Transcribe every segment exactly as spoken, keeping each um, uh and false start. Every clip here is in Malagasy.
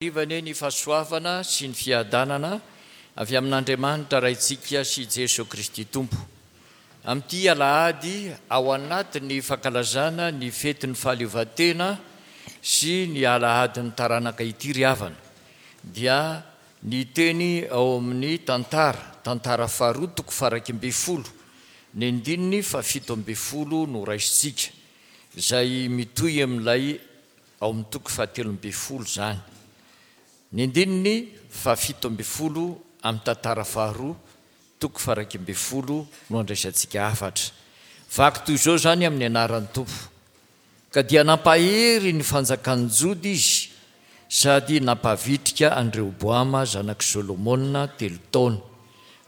Hariva anie ny fahasoavana sy ny fiadanana avy amin'Andriamanitra Raintsika sy Jeso Kristy Tompo. Amin'ity alahady ao anatin'ny fankalazana ny fetin'ny fahaleovantena sy ny alahadin'ny taranaka ity ry havana, dia ny teny ao amin'ny tantara, tantara faharoa toko faha-iraika ambin'ny folo, ny andininy fahafito ambin'ny folo no raisintsika, izay mitohy amin'ilay ao amin'ny toko fahatelo ambin'ny folo izany. Ny andininy fahafito ambin'ny folo amin'ny tantara faharoa toko faha-iraika ambin'ny folo no andraisantsika hafatra. Vaky toy izao izany amin'ny anaran'ny Tompo. Ka dia nampahery ny fanjakan'ny Joda izy sady nampavitrika an'i Rehoboama zanak'i Solomona telo taona,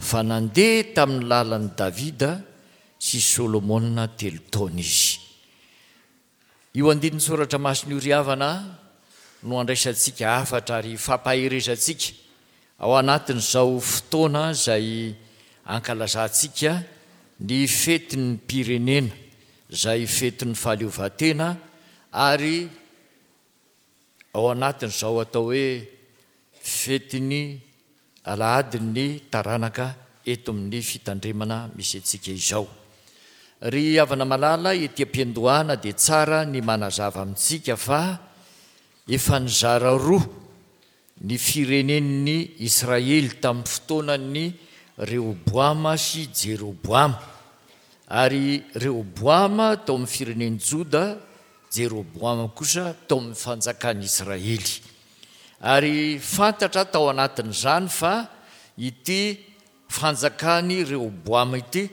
fa nandeha tamin'ny lalan'i Davida sy Solomona telo taona izy. Io andinin-tsoratra masina io ry havana no andraisantsika hafatra ary fampaherezantsika ao anatin'izao fotoana izay ankalazantsika ny fetin'ny pirenena, izay fetin'ny fahaleovantena, ary ao anatin'izao atao hoe fetin'ny alahadin'ny taranaka eto amin'ny fitandremana misy antsika izao. Ry havana malala, ety am-piandohana dia tsara ny manazava amintsika fa efa nizara roa ny firenen'ny Israely tamin'ny fotoanan'ny Rehoboama sy Jeroboama. Ary Rehoboama tao amin'ny firenen'i Joda, Jeroboama kosa tao amin'ny fanjakan'i Israely. Ary fantatra tao anatin'izany fa ity fanjakan'i Rehoboama ity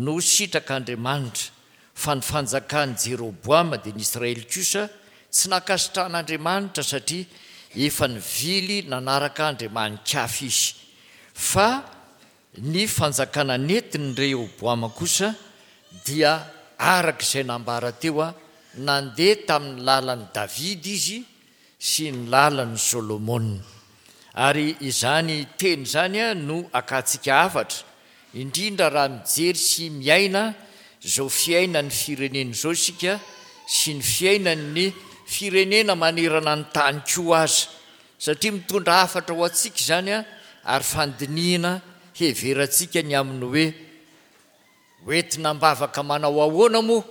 no sitrak'Andriamanitra, fa ny fanjakan'i Jeroboama dia ny Israely kosa tsy nankasitrahan'Andriamanitra satria efa nivily nanaraka Andriamani-kafa izy. Fa ny fanjakana nentin'i Rehoboama kosa dia araka izay nambara teo, nandeha tamin'ny lalan'i Davida izy sy ny lalan'i Solomona. Ary izany teny izany no akantsika hafatra, indrindra raha mijery sy miaina izao fiainan'ny firenena izao isika sy ny fiainan'ny firenena manerana ny tany koa aza, satria mitondra hafatra ho antsika izany ary fandinihina heverantsika ny amin'ny hoe hoentina am-bavaka manao ahoana moa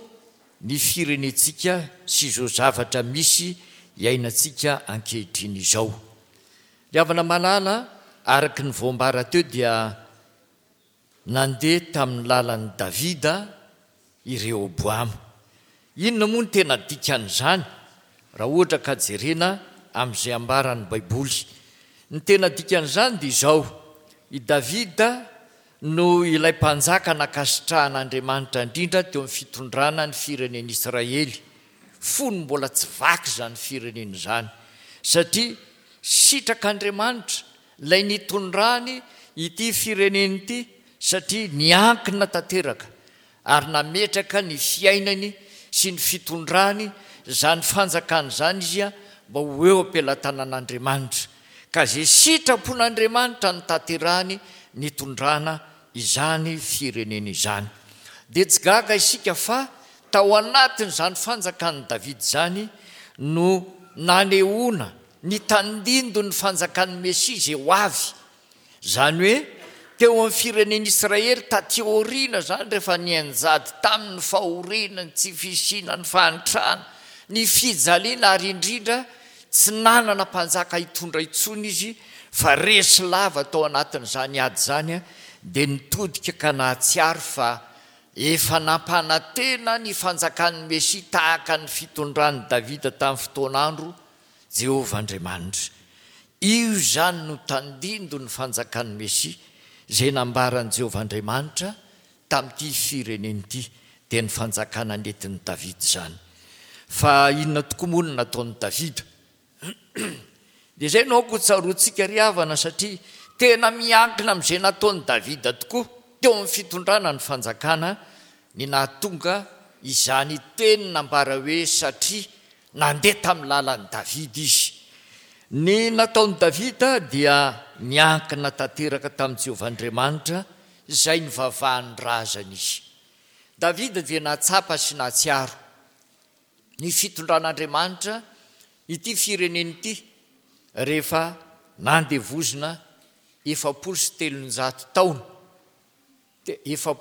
ny firenentsika sy izao zavatra misy iainantsika ankehitriny izao. Ry havana malala, araka ny voambara teo dia nandeha tamin'ny lalan'i Davida i Rehoboama. Inona moa no tena dikan'izany raha ohatra ka jerena amin'izay ambaran'ny Baiboly? Ny tena dikan'izany dia izao: i Davida no ilay mpanjaka nankasitrahan'Andriamanitra indrindra teo amin'ny fitondrana ny firenen'Israely, fony mbola tsy vaky izany firenena izany, satria sitrak'Andriamanitra ilay nitondrany ity firenena ity, satria niankina tanteraka ary nametraka ny fiainany sy ny fitondrany izany fanjakana izany izy mba ho eo am-pelatanan'Andriamanitra. Ka izay sitrapon'Andriamanitra ny tanterahany nitondrana izany firenena izany. Dia tsy gaga isika fa tao anatin'izany fanjakan'i Davida izany no nanehoana ny tandindon'ny fanjakan'ny Mesia izay ho avy. Izany hoe teo amin'ny firenen'Israely taty aoriana izany, rehefa nianjady tamin'ny fahoriana, ny tsy fisiana, ny fahantrana, ny fijaliana, ary indrindra tsy nanana mpanjaka hitondra intsony izy fa resy lava tao anatin'izany ady izany, dia nitodika ka nahatsiaro fa efa nampanantena ny fanjakan'ny Mesia tahaka ny fitondran'i Davida tamin'ny fotoan'andro Jehovah Andriamanitra. Io izany no tandindon'ny fanjakan'ny Mesia izay nambaran'i Jehovah Andriamanitra tamin'ity firenena ity, dia ny fanjakana nentin'i Davida izany. Fa inona tokoa moa no nataon'i Davida? Dia izay no aoka ho tsaroantsika ry havana, satria tena miankina amin'izay nataon'i Davida tokoa teo amin'ny fitondrana ny fanjakana ny nahatonga izany teny nambara hoe satria nandeha tamin'ny lalan'i Davida izy. Ny nataon'i Davida dia niankina tanteraka tamin'i Jehovah Andriamanitra izay nivavahan'ny razany izy. Davida dia nahatsapa sy nahatsiaro ny fitondran'Andriamanitra ity firenena ity rehefa nandevozina efapolo sy telonjato taona, efa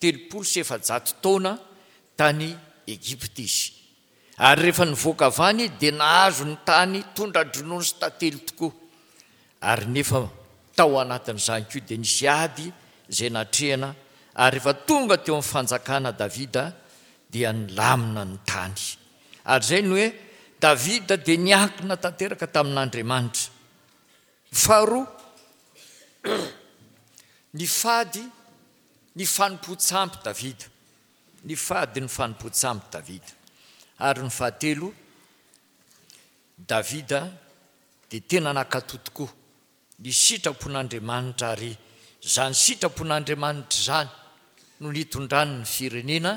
telopolo sy efajato taona tany Egypta izy. Ary rehefa nivoaka avy any dia nahazo ny tany tondra-dronono sy tantely tokoa. Ary nefa tao anatin'izany koa dia nisy ady izay natrehana, ary rehefa tonga teo amin'ny fanjakana Davida dia nilamina ny tany. Ary izay no hoe Davida dia niankina tanteraka tamin'Andriamanitra. Faharoa, nifady ny fanompoan-tsampy Davida. Nifady ny fanompoan-tsampy Davida. Ary ny fahatelo, Davida dia tena nankatò tokoa ny sitrapon'Andriamanitra, ary izany sitrapon'Andriamanitra izany no nitondrany ny firenena,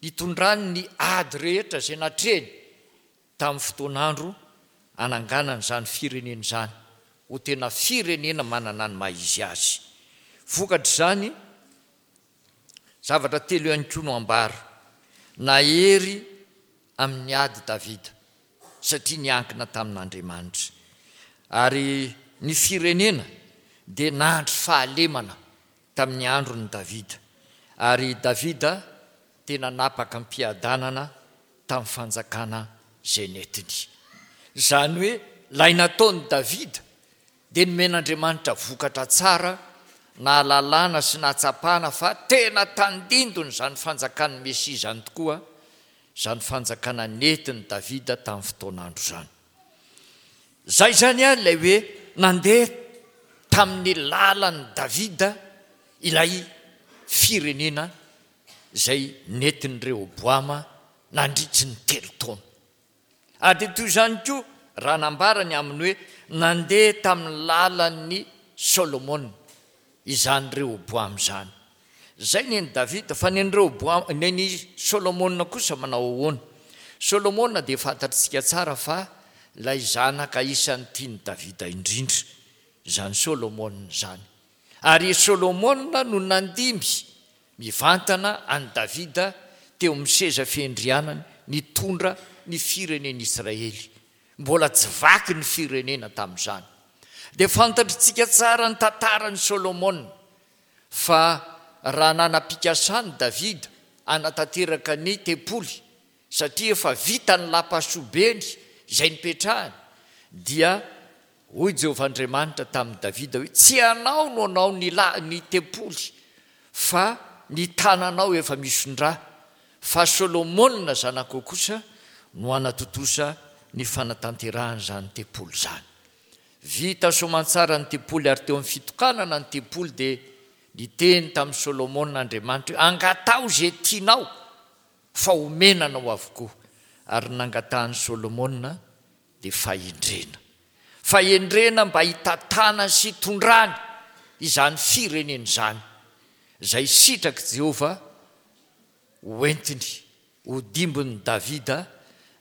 nitondrany ny ady rehetra izay natrehiny tamin'ny fotoan'andro ananganany izany firenena izany ho tena firenena manana ny maha izy azy. Vokatr'izany, zavatra telo ihany koa no ambara. Nahery amin'ny ady Davida satria niankina tamin'Andriamanitra. Ary ny firenena dia nandry fahalemana tamin'ny andron'i Davida. Ary Davida tena napaka am-piadanana tamin'ny fanjakana izay nentiny. Izany hoe ilay nataon'i Davida dia nomen'Andriamanitra vokatra tsara, nahalalana sy nahatsapana fa tena tandindony izany fanjakan'ny Mesia izany tokoa, izany fanjakana nentin'i Davida tamin'ny fotoan'andro izany. Izay izany ilay hoe nandeha tamin'ny lalan'i Davida ilay firenena izay nentin'i Rehoboama nandritry ny telo taona. Ary dia toy izany koa raha nambarany amin'ny hoe nandeha tamin'ny lalan'i Solomona izany Rehoboama izany. Izay nen'i Davida, fa nen'i Rehoboama, nen'i Solomona kosa manao ahoana? Solomona dia fantatritsika tsara fa ilay zanaka isan'ny tian'i Davida indrindra izany Solomona izany. Ary Solomona no nandimby mivantana an'i Davida teo amin'ny seza fiandrianany nitondra ny firenen'Israely. Mbola tsy vaky ny firenena tamin'izany. Dia fantatritsika tsara ny tantaran'i Solomona fa raha nanam-pikasany Davida hanatanteraka ny tempoly satria efa vita ny lapasobeny izay nipetrahany, dia hoy Jehovah Andriamanitra tamin'i Davida hoe tsy ianao no hanao ny la-, ny tempoly fa ny tananao efa misondra, fa Solomona zanakao kosa no hanatontosa ny fanatanterahana izany tempoly izany. Vita soamantsara ny tempoly, ary teo amin'ny fitokanana ny tempoly dia niteny tamin'i Solomona Andriamanitra hoe angataho izay tianao fa omena anao avokoa. Ary nangatahan'i Solomona dia fahendrena. Fahendrena mba hitantanany sy hitondrany izany firenena izany, izay sitrak'i Jehovah hoentiny ho dimbin'i Davida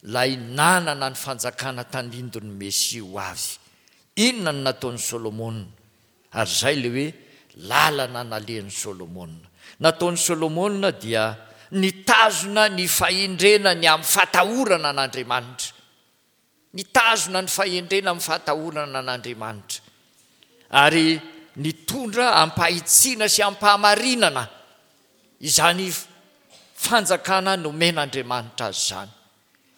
ilay nanana ny fanjakana tandindon'ny Mesia ho avy. Inona no nataon'i Solomona? Ary izay ilay hoe lalana nalehan'i Solomona. Nataon'i Solomona dia nitazona ny fahendrena ny amin'ny fatahorana an'Andriamanitra. Nitazona ny fahendrena amin'ny fatahorana an'Andriamanitra. Ary nitondra ampahitsiana sy ampahamarinana izany fanjakana nomen'Andriamanitra azy izany.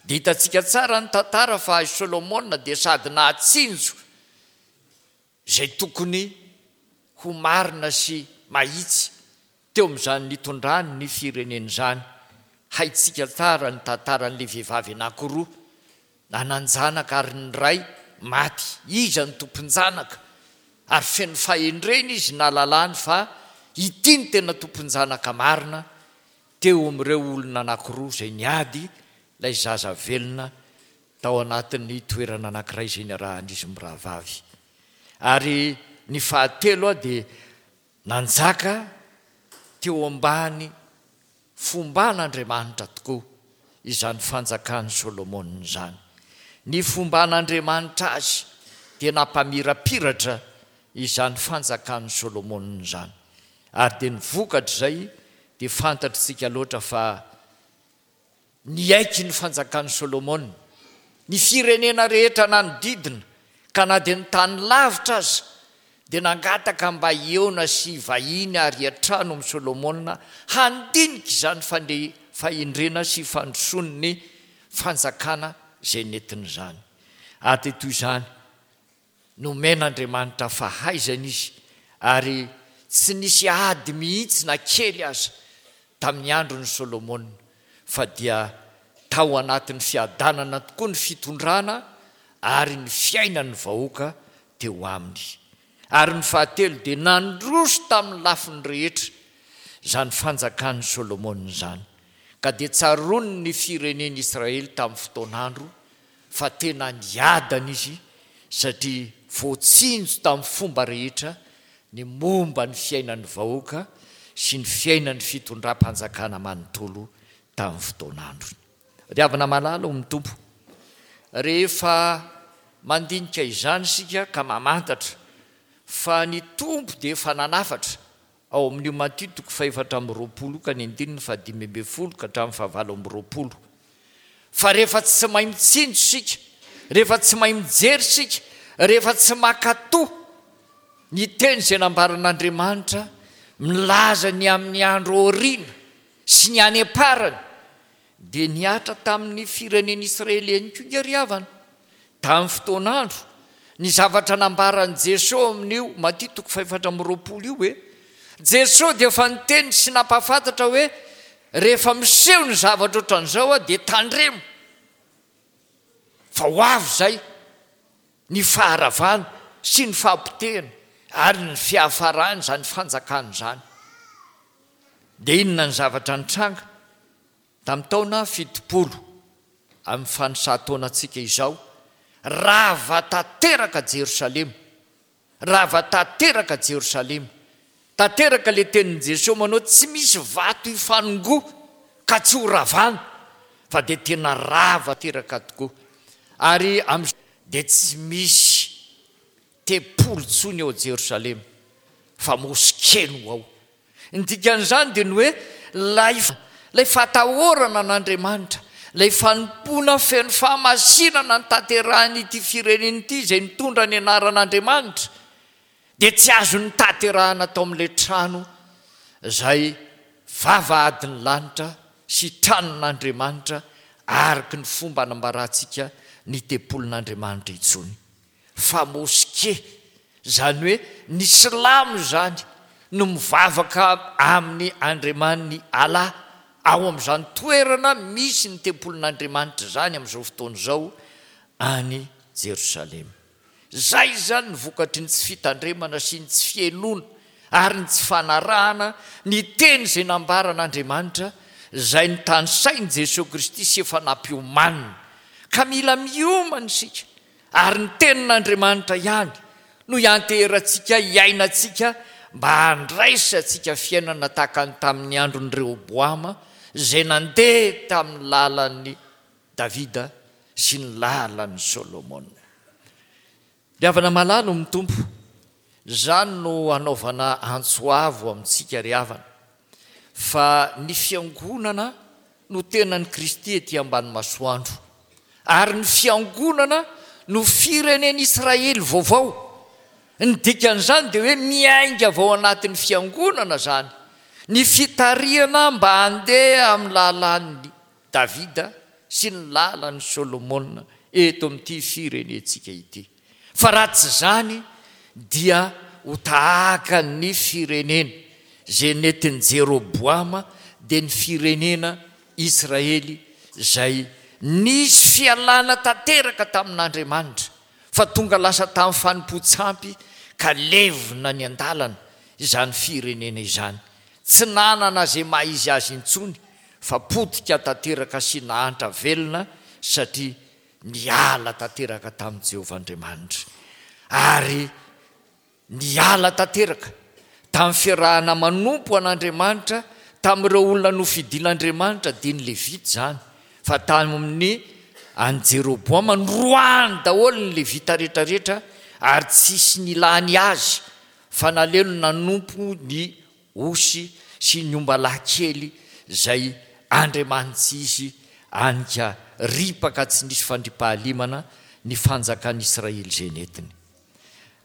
Dia hitantsika tsara ny tantara fa i Solomona dia sady nahatsinjo izay tokony ho marina sy mahitsy teo amin'izany nitondrany ny firenena izany. Haintsika tsara ny tantaran'ilay vehivavy anankiroa nanan-janaka ary ny ray maty. Iza no tompon-janaka? Ary feno fahendrena izy nahalalany fa ity no tena tompon-janaka marina teo amin'ireo olona anankiroa izay niady ilay zaza velona tao anatin'ny toerana anankiray izay niarahan'izy mirahavavy. Ary ny fahatelo dia nanjaka teo ambany fomban'Andriamanitra tokoa izany fanjakan'i Solomona izany. Ny fomban'Andriamanitra azy dia nampamirapiratra izany fanjakan'i Solomona izany. Ary dia ny vokatr'izay dia fantatritsika loatra fa niaiky ny fanjakan'i Solomona Ny firenena rehetra nanodidina ka na dia ny tany lavitra aza dia nangataka mba hihaona sy vahiny ary hiantrano amin'i Solomona handinika izany fande- fahendrena sy fandrosoan'ny fanjakana izay nentiny izany. Ary dia toy izany nomen'Andriamanitra fahaizana izy ary tsy nisy ady mihitsy na kely aza tamin'ny andron'i Solomona, fa dia tao anatin'ny fiadanana tokoa ny fitondrana ary ny fiainan'ny vahoaka teo aminy. Ary ny fahatelo dia nandroso tamin'ny lafiny rehetra izany fanjakan'i Solomona izany, ka dia tsaroany ny firenen'Israely tamin'ny fotoan'andro fa tena niadana izy satria voatsinjo tamin'ny fomba rehetra ny momba ny fiainan'ny vahoaka sy ny fiainan'ny fitondram-panjakana manontolo tamin'ny fotoan'androny. Ry havana malala ao amin'ny Tompo, rehefa mandinika izany isika ka mamantatra fa ny Tompo dia efa nanafatra ao amin'io Matio toko fahefatra amby roapolo ka ny andininy fahadimy ambin'ny folo ka hatramin'ny fahavalo amby roapolo, fa rehefa tsy mahay mitsinjo isika, rehefa tsy mahay mijery isika, rehefa tsy mankatò ny teny izay nambaran'Andriamanitra milaza ny amin'ny andro aoriana sy ny any am-parany, dia nihatra tamin'ny firenen'Israely ihany koa nge ry havana. Tamin'ny fotoan'andro, ny zavatra nambaran'i Jesoa amin'io Matio toko fahefatra amby roapolo io hoe Jesoa dia efa niteny sy nampahafantatra hoe rehefa miseho ny zavatra ohatran'izao dia tandremo fa ho avy izay ny faharavana sy ny fahapotehana ary ny fiafarana izany fanjakana izany. Dia inona ny zavatra nitranga tamin'ny taona fitopolo amin'ny fanisahan-taonantsika izao? Rava tanteraka Jerosalema, rava tanteraka Jerosalema. Tanteraka ilay tenin'i Jesoa manao tsy misy vato hifanongoa ka tsy ho ravana, fa dia tena rava tanteraka tokoa. Ary amin'izao dia tsy misy tempoly intsony ao Jerosalema fa moske no ao. Ny dikan'izany dia ny hoe ilay ilay fahatahorana an'Andriamanitra, ilay fanompoana feno fahamasinana notanterahin'ity firenena ity izay nitondra ny anaran'Andriamanitra dia tsy azo notanterahina tao amin'ilay trano izay vavahadin'ny lanitra sy tranon'Andriamanitra araka ny fomba anambarantsika ny tempolin'Andriamanitra intsony, fa moske, izany hoe ny silamo izany no mivavaka amin'ny Andriamaniny Allah ao amin'izany toerana misy ny tempolin'Andriamanitra izany amin'izao fotoana izao any Jerosalema. Izay izany ny vokatry ny tsy fitandremana sy ny tsy fihainoana ary ny tsy fanarahana ny teny izay nambaran'Andriamanitra izay notanisain'i Jesoa Kristy sy efa nampiomanina. Ka mila miomana isika ary ny tenin'Andriamanitra ihany no hianteherantsika hiainantsika mba handraisantsika fiainana tahaka ny tamin'ny andron'i Rehoboama izay nandeha tamin'ny lalan'i Davida sy ny lalan'i Solomona. Ry havana malala ao amin'ny Tompo, izany no hanaovana antso avo amintsika ry havana, fa ny fiangonana no tenan'i Kristy ety ambany masoandro, ary ny fiangonana no firenen'Israely vaovao. Ny dikan'izany dia hoe miainga avy ao anatin'ny fiangonana izany ny fitarihana mba handeha amin'ny lalan'i Davida sy ny lalan'i Solomona eto amin'ity firenentsika ity. Fa raha tsy izany dia ho tahaka ny firenena izay nentin'i Jeroboama, dia ny firenena Israely izay nisy fialana tanteraka tamin'Andriamanitra, fa tonga lasa tamin'ny fanompoan-tsampy ka levona ny an-dalana izany firenena izany. Tsy nanana izay maha izy azy intsony fa potika tanteraka sy nahantra velona satria niala tanteraka tamin'i Jehovah Andriamanitra. Ary niala tanteraka tamin'ny fiarahana manompo an'Andriamanitra tamin'ireo olona nofidin'Andriamanitra, dia ny Levita izany, fa tamin'ny an'i Jeroboama noroahany daholo ny Levita rehetrarehetra ary tsisy nilany azy fa nalehony nanompo ny osy sy ny ombalahy kely izay andriamanitsy izy anika ripaka tsy nisy fandriampahalemana ny fanjakan'Israely izay nentiny.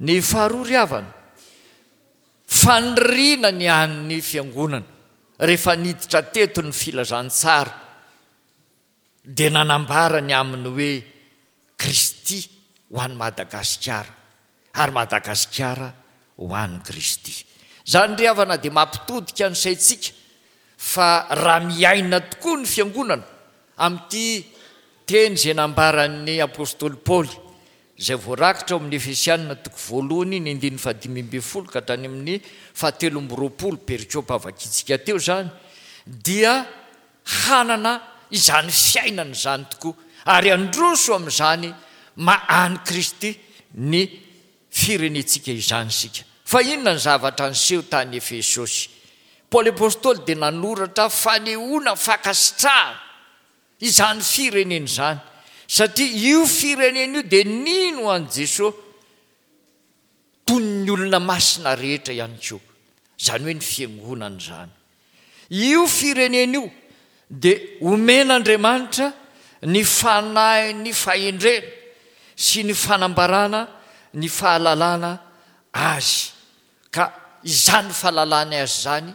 Ny faharoa ry havana, faniriana ny an'ny fiangonana rehefa niditra teto ny filazantsara dia nanambara ny amin'ny hoe Kristy ho an'i Madagasikara ary Madagasikara ho an'i Kristy. Izany ry havana dia mampitodika ny saintsika fa raha miaina tokoa ny fiangonana amin'ity teny izay nambaran'ny apostoly Paoly izay voarakitra ao amin'ny Efesianina toko voalohany ny andininy fahadimy ambin'ny folo ka hatrany amin'ny fahatelo amby roapolo perikopa vakintsika teo izany dia hanana izany fiainana izany tokoa ary handroso amin'izany maha an'i Kristy ny firenentsika izany isika. Fa inona ny zavatra niseho tany Efesosy? Paoly apostoly dia nanoratra fanehoana fankasitrahana izany firenena izany, satria io firenena io dia nino an'i Jesoa toy ny olona masina rehetra ihany koa, izany hoe ny fiangonana izany. Io firenena io dia omen'Andriamanitra ny fanahin'ny fahendrena sy ny fanambarana ny fahalalana azy, ka izany fahalalany azy izany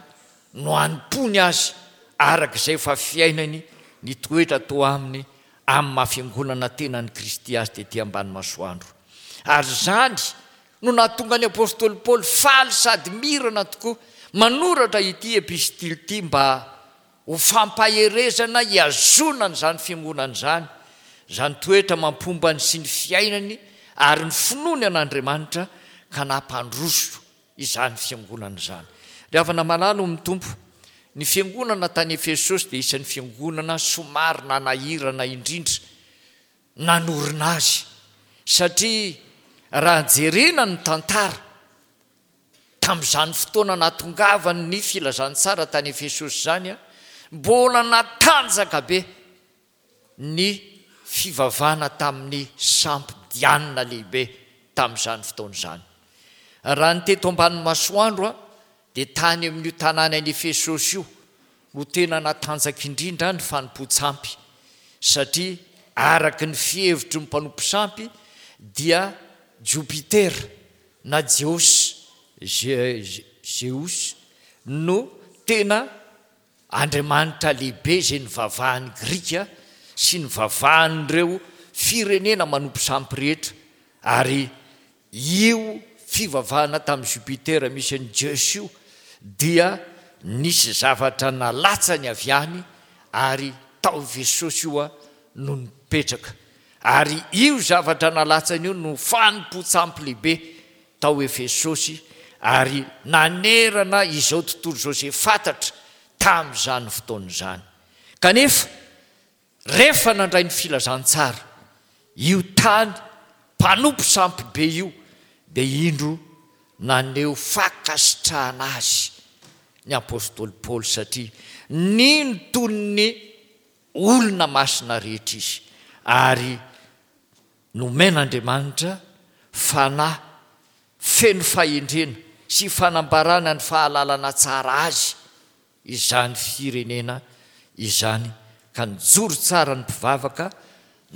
no anompoany azy araka izay efa fiainany ny toetra toa aminy amin'ny maha fiangonana tenan'i Kristy azy tety ambany masoandro. Ary izany no nahatonga ny apostoly Paoly faly sady mirana tokoa manoratra ity epistily ity mba ho fampaherezana hihazonana izany fiangonana izany, izany toetra mampombany sy ny fiainany ary ny finoany an'Andriamanitra ka nampandroso izany fiangonana izany. Ry havana malala ao amin'ny Tompo, ny fiangonana tany Efesosy dia isan'ny fiangonana somary nanahirana indrindra nanorina azy, satria raha jerena ny tantara tamin'izany fotoana nahatongavan'ny filazantsara tany Efesosy izany, mbola natanjaka be ny fivavahana tamin'ny sampy Diana lehibe tamin'izany fotoana izany. Raha ny teto ambany masoandro dia tany amin'io tanàna any Efesosy io no tena natanjaka indrindra ny fanompoan-tsampy, satria araka ny fihevitry ny mpanompo sampy dia Jupiter na Zeus, Zeus no tena andriamanitra lehibe izay nivavahan'ny Grika sy nivavahan'ireo firenena manompo sampy rehetra, ary io fivavahana tamin'i Jupiter misy an'i Zeus io dia nisy zavatra nalatsany avy any ary tao Efesosy io no nipetraka, ary io zavatra nalatsany io no fanompoan-tsampy lehibe tao Efesosy ary nanerana izao tontolo izao izay fantatra tamin'izany fotoana izany. Kanefa rehefa nandray ny filazantsara io tany mpanompo sampy be io dia indro naneho fankasitrahana azy ny apostoly Paoly, satria nino toy ny olona masina rehetra izy ary nomen'Andriamanitra fanahy feno fahendrena sy fanambarana ny fahalalana tsara azy izany firenena izany, ka nijoro tsara ny mpivavaka,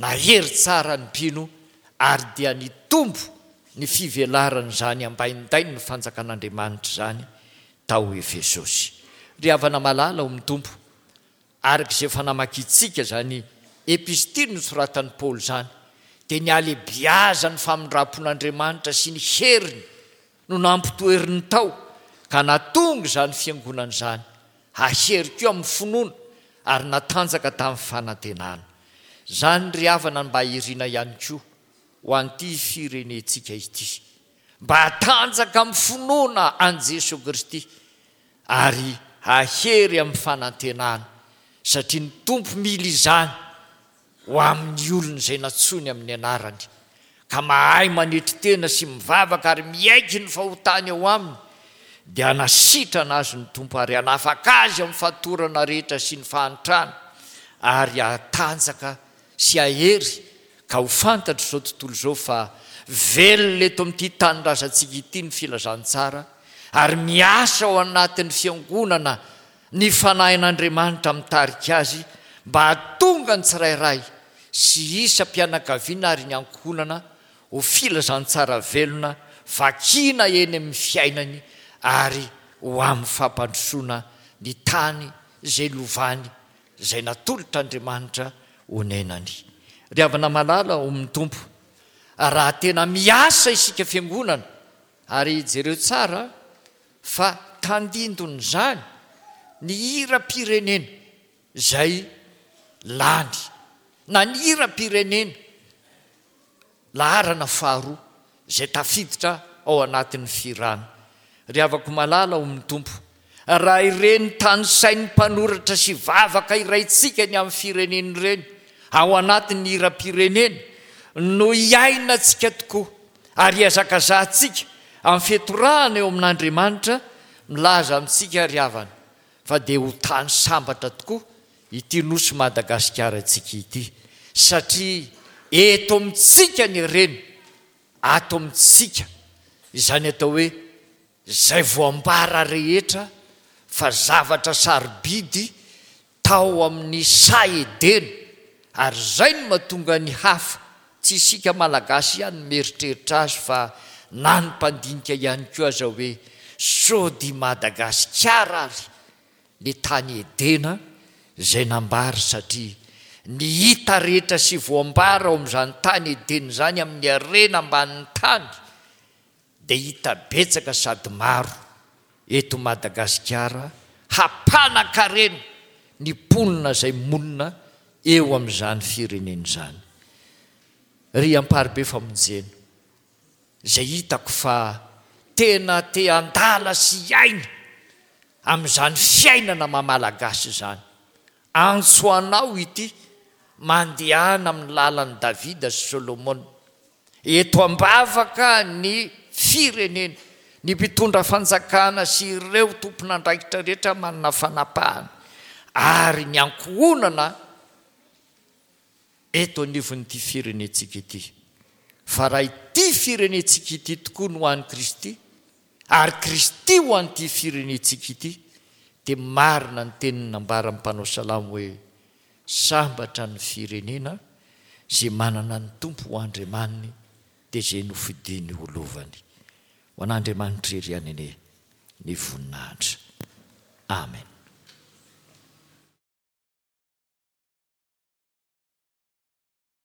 nahery tsara ny mpino, ary dia nitombo ny fivelaran'izany ambaindain'ny fanjakan'Andriamanitra izany tao Efesosy. Ry havana malala ao amin'ny Tompo, araka izay efa namakintsika izany epistily nosoratan'i Paoly izany, dia ny halehibiazan'ny famindram-pon'Andriamanitra sy ny heriny no nampitoeriny tao ka nahatonga izany fiangonana izany hahery koa amin'ny finoana ary natanjaka tamin'ny fanantenana. Izany ry havana no mba irina ihany koa ho an'ity firenentsika ity, mba hatanjaka amin'ny finoana an'i Jesoa Kristy ary hahery amin'ny fanantenana, satria ny Tompo mila izany ho amin'ny olony izay nantsoiny amin'ny anarany, ka mahay manetry tena sy mivavaka ary miaiky ny fahotany ao aminy, dia hanasitrana azy ny Tompo ary hanafaka azy amin'ny fatorana rehetra sy ny fahantrana, ary hatanjaka sy hahery ka ho fantatr'izao tontolo izao fa velona eto amin'ity tanindrazantsika ity ny filazantsara ary miasa ao anatin'ny fiangonana ny fanahin'Andriamanitra mitarika azy mba hahatonga ny tsirairay sy isam-pianakaviana ary ny ankohonana ho filazantsara velona vakiana eny amin'ny fiainany ary ho amin'ny fampandrosoana ny tany izay lovany izay natolotr'Andriamanitra honenany. Ry havana malala ao amin'ny Tompo, raha tena miasa isika fiangonana, ary jereo tsara fa tandindon'izany ny hiram-pirenena izay lany, na ny hiram-pirenena laharana faharoa izay tafiditra ao anatin'ny fihirana. Ry havako malala ao amin'ny Tompo, raha ireny tanisain'ny mpanoratra sy vavaka iraintsika ny amin'ny firenena ireny ao anatin'ny hiram-pirenena no iainantsika tokoa ary ihazakazahantsika amin'ny fitorahana eo amin'Andriamanitra, milaza amintsika ry havana fa dia ho tany sambatra tokoa ity nosy Madagasikara antsika ity, satria eto amintsika ny reny, ato amintsika izany atao hoe izay voambara rehetra fa zavatra sarobidy tao amin'ny saha Edena, ary izay no mahatonga ny hafa, tsy isika Malagasy ihany no mieritreritra azy fa na ny mpandinika ihany koa aza hoe sao dia Madagasikara ary le tany Edena izay nambara, satria ny hita rehetra sy voambara ao amin'izany tany Edena izany amin'ny harena ambanin'ny tany dia hita betsaka sady maro eto Madagasikara hampanan-karena ny mponina izay monina eo amin'izany firenena izany. Ry Amparibe Famonjena, izay hitako fa tena te handala sy hiaina amin'izany fiainana maha Malagasy izany, antso anao ity, mandehana amin'ny lalan'i Davida sy Solomona. Eto am-bavaka ny firenena, ny mpitondra fanjakana sy ireo tompon'andraikitra rehetra manana fanapahana ary ny ankohonana eto anivon'ity firenentsika ity. Fa raha ity firenentsika ity tokoa no an'i Kristy, ary Kristy ho an'ity firenentsika ity, dia marina ny teniny nambaran'ny mpanao salamo hoe sambatra ny firenena izay manana ny Tompo ho Andriamaniny, dia izay nofidiny ho lovany. Ho an'Andriamanitra irery ihany anie ny voninahitra. Amen.